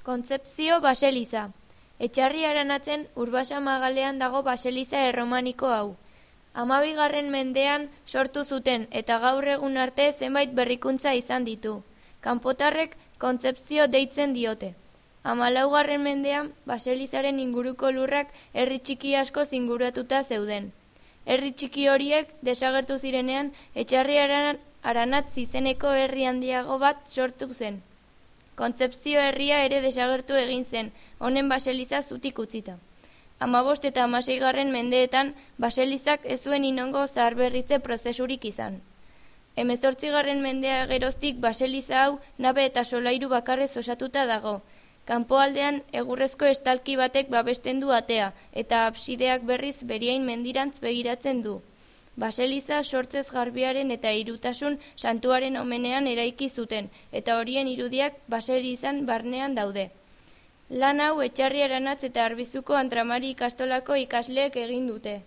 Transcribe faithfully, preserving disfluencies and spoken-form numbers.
Kontzepzio baseliza. Etxarri Aranatzen Urbasa magalean dago baseliza erromaniko hau. Hamabigarren mendean sortu zuten eta gaur egun arte zenbait berrikuntza izan ditu. Kanpotarrek kontzepzio deitzen diote. Hamalaugarren mendean baselizaren inguruko lurrak herri txiki asko zinguratuta zeuden. Herri txiki horiek desagertu zirenean Etxarri Aranatz izeneko herri handiago bat sortu zen. Kontzepzio herria ere desagertu egin zen, honen baseliza zutik utzita. Hamabost eta hamaseigarren mendeetan baselizak ez zuen inongo zaharberritze prozesurik izan. Hemezortzigarren mendea geroztik baseliza hau nabe eta solairu bakarrez osatuta dago. Kanpoaldean egurrezko estalki batek babesten du atea eta absideak berriz Beriain mendirantz begiratzen du. Baseliza sortzez garbiaren eta hirutasun santuaren omenean eraiki zuten, eta horien irudiak baselizan barnean daude. Lan hau Etxarri Aranatz eta Arbizuko Antramari ikastolako ikasleek egin dute.